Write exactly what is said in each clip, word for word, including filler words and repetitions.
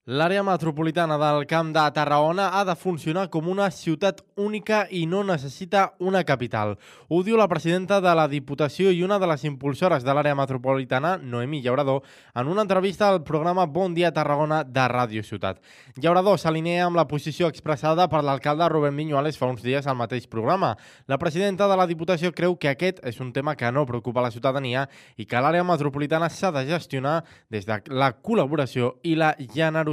L'àrea metropolitana del Camp de Tarragona ha de funcionar com una ciutat única i no necessita una capital. Ho diu la presidenta de la Diputació i una de les impulsores de l'àrea metropolitana, Noemí Llauradó, en una entrevista al programa Bon Dia Tarragona de Ràdio Ciutat. Llauradó s'alinea amb la posició expressada per l'alcalde Rubén Viñuales fa uns dies al mateix programa. La presidenta de la Diputació creu que aquest és un tema que no preocupa la ciutadania i que l'àrea metropolitana s'ha de gestionar des de la col·laboració i la generositat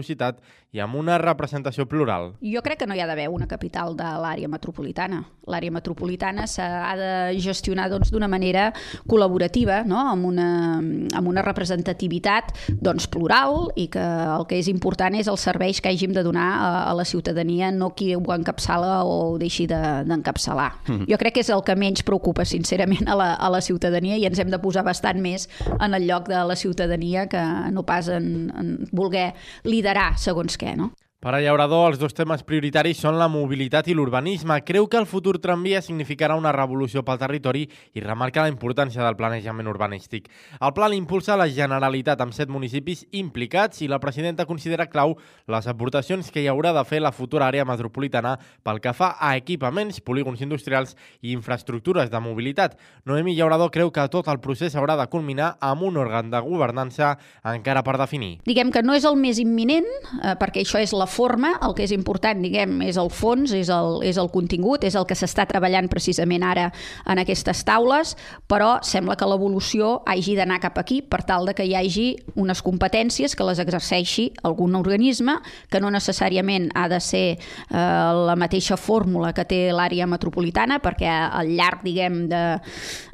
i amb una representació plural. Jo crec que no hi ha d'haver una capital de l'àrea metropolitana. L'àrea metropolitana s'ha de gestionar doncs, d'una manera col·laborativa, no? amb, una, amb una representativitat doncs, plural, i que el que és important és els serveis que hàgim de donar a, a la ciutadania, no qui ho encapçala o ho deixi d'encapçalar. De, mm. Jo crec que és el que menys preocupa, sincerament, a la, a la ciutadania, i ens hem de posar bastant més en el lloc de la ciutadania que no pas en, en voler liderar segons què, no? Per a Llauradó, els dos temes prioritaris són la mobilitat i l'urbanisme. Creu que el futur tramvia significarà una revolució pel territori i remarca la importància del planejament urbanístic. El pla l'impulsa la Generalitat amb set municipis implicats i la presidenta considera clau les aportacions que hi haurà de fer la futura àrea metropolitana pel que fa a equipaments, polígons industrials i infraestructures de mobilitat. Noemí Llauradó creu que tot el procés haurà de culminar amb un òrgan de governança encara per definir. Diguem que no és el més imminent, eh, perquè això és la forma, el que és important, diguem, és el fons, és el, és el contingut, és el que s'està treballant precisament ara en aquestes taules, però sembla que l'evolució hagi d'anar cap aquí per tal de que hi hagi unes competències que les exerceixi algun organisme, que no necessàriament ha de ser eh, la mateixa fórmula que té l'àrea metropolitana, perquè al llarg, diguem, de,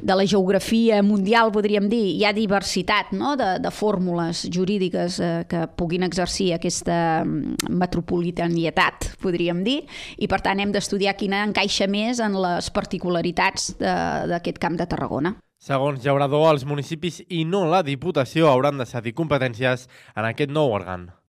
de la geografia mundial, podríem dir, hi ha diversitat, no?, de, de fórmules jurídiques eh, que puguin exercir aquesta metropolitanietat, podríem dir, i per tant hem d'estudiar quina encaixa més en les particularitats d'aquest Camp de Tarragona. Segons Llauradó, els municipis i no la Diputació hauran de cedir competències en aquest nou òrgan.